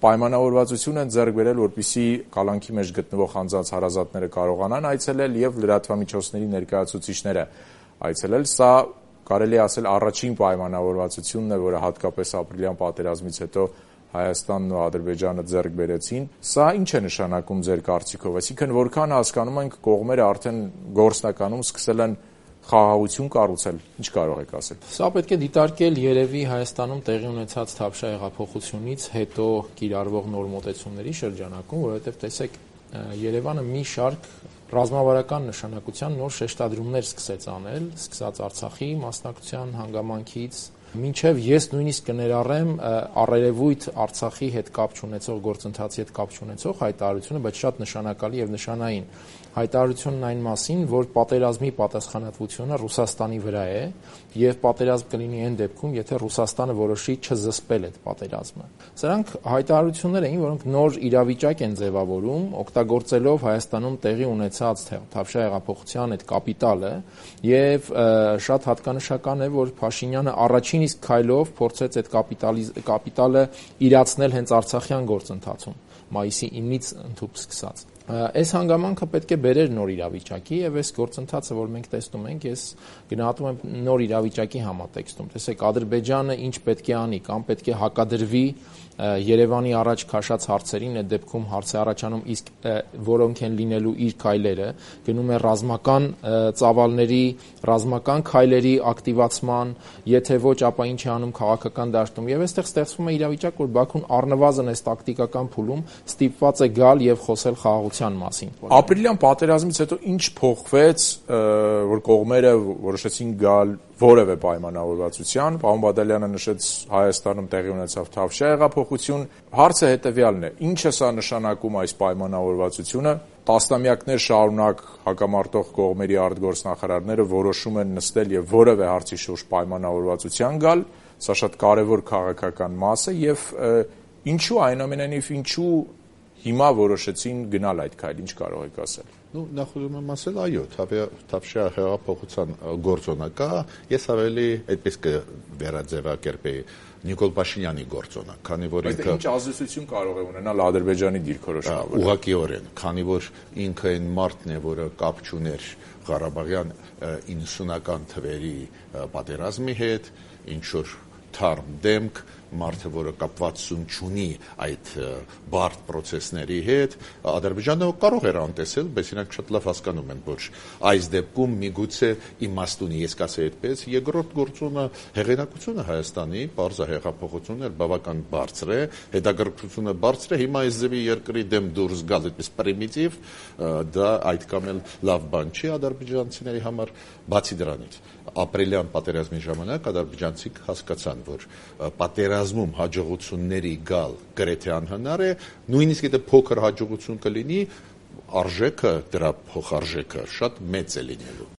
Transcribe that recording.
պայմանավորվածություն են ձեռք բերել, որպեսզի կալանքի մեջ գտնվող անձանց հարազատները կարողանան այցելել եւ լրատվամիջոցների ներկայացուցիչները այցելել։ Սա կարելի է ասել առաջին պայմանավորվածությունն է, որը հատկապես ապրիլյան պատերազմից հետո Հայաստանն ու Ադրբեջանը ձեռք բերեցին։ Սա ինչ է նշանակում ձեր կարծիքով, այսինքն որքան հասկանում ենք կողմերը արդեն գործնականում սկսել են խաղաղություն կառուցել, ինչ կարող եք ասել։ Սա պետք է դիտարկել երևի Հայաստանում տեղի ունեցած Թավշյա հեղափոխությունից հետո կիրառվող նոր մոտեցումների շրջանակում, որովհետև տեսեք, Երևանը մի շարք ռազմավարական նշանակության նոր շեշտադրումներ սկսեց անել, սկսած Արցախի մասնակցության հանգամանքից, մինչև ես նույնիսկ կներառեմ առերևույթ Արցախի հետ կապ չունեցող գործընթացի հետ կապ չունեցող հայտարարությունը, բայց շատ նշանակալի եւ նշանային հայտարարությունն այն մասին, որ պատերազմի պատասխանատվությունը Ռուսաստանի վրա է եւ պատերազմ կլինի այն դեպքում, եթե Ռուսաստանը որոշի չզսպել այդ պատերազմը։ Սրանք հայտարարություններ էին, որոնք նոր իրավիճակ են ձևավորում, օգտագործելով Հայաստանում տեղի ունեցած Թավշյա հեղափոխության այդ կապիտալը եւ շատ հատկանշական է, որ Փաշինյանը առաջին իսկ քայլով փորձեց այդ կապիտալը իրացնել հենց արցախյան գործընթացում, մայիսի 9-ից ընդհուպ սկսած։ Այս հանգամանքը պետք է բերեր նոր իրավիճակի եւ այս գործընթացը, որ մենք տեսնում ենք, ես գնահատում եմ նոր իրավիճակի համատեքստում։ Տեսեք, Ադրբեջանը ինչ պետք է անի, կամ պետք է հակադրվի Երևանի առաջ քաշած հարցերին, այդ դեպքում հարց է առաջանում, իսկ որոնք են լինելու իր քայլերը, գնում է ռազմական ծավալների, ռազմական քայլերի ակտիվացման, եթե ոչ, ապա ինչ է անում քաղաքական դաշտում։ Եվ այստեղ ստեղծվում է իրավիճակ, որ Բաքուն առնվազն այս տակտիկական փուլում ստիպված է գալ եւ խոսել խաղաղության մասին։ Ապրիլյան պատերազմից հետո ինչ փոխվեց, որ կողմերը որոշեցին գալ որևէ պայմանավորվածության։ Պարոն Բադալյանը նշեց Հայաստանում տեղի ունեցավ Թավշյա հեղափոխություն։ Հարցը հետեւյալն է. ինչ է սա նշանակում այս պայմանավորվածությունը։ Տասնամյակներ շարունակ հակամարտող կողմերի արտգործնախարարները որոշում են նստել եւ որևէ հարցի շուրջ պայմանավորվածության գալ։ Սա շատ կարեւոր քաղաքական մաս է եւ ինչու այնուամենայնիվ ինչու հիմա որոշեցին գնալ այդ քայլ, ինչ կարող եք ասել։ Նախ ուզում եմ ասել, այո, Թավշյա հեղափոխության գործոնակը ես ավելի այդպես կվերաձևակերպեի Նիկոլ Փաշինյանի գործոնակ, քանի որ ինքը ինչ ազդեցություն կարող է ունենալ Ադրբեջանի դիրքորոշման վրա։ Ուղղակիորեն, քանի որ ինքը այն մարդն է, որը կապ չուներ Ղարաբաղյան 90-ական թվերի պատերազմի հետ, ինչ որ թարմ դեմք, մարդը, որը կապվածություն չունի այդ բարդ պրոցեսների հետ, Ադրբեջանը կարող էր անտեսել, բայց իրենք շատ լավ հասկանում են, որ այս դեպքում միգուցե իմաստ ունի, ես կասեի այդպես, երկրորդ գործոնը հեղինակությունը Հայաստանի, պարզ հեղափոխությունն բավական բարձր է, հետաքրքրությունը բարձր է, հիմա այս ձևի երկրի դեմ դուրս գալ այդպես պրիմիտիվ, դա այդքան էլ լավ բան չի ադրբեջանցիների համար, բացի դրանից ապրիլյան պատերազմի ժամանակ ադրբեջանցիք հասկացան, որ պատերազմում հաջողությունների գալ գրեթե անհնար է, նույնիսկ եթե փոքր հաջողություն կլինի, արժեքը, դրա փոխարժեքը շատ մեծ է լինելու։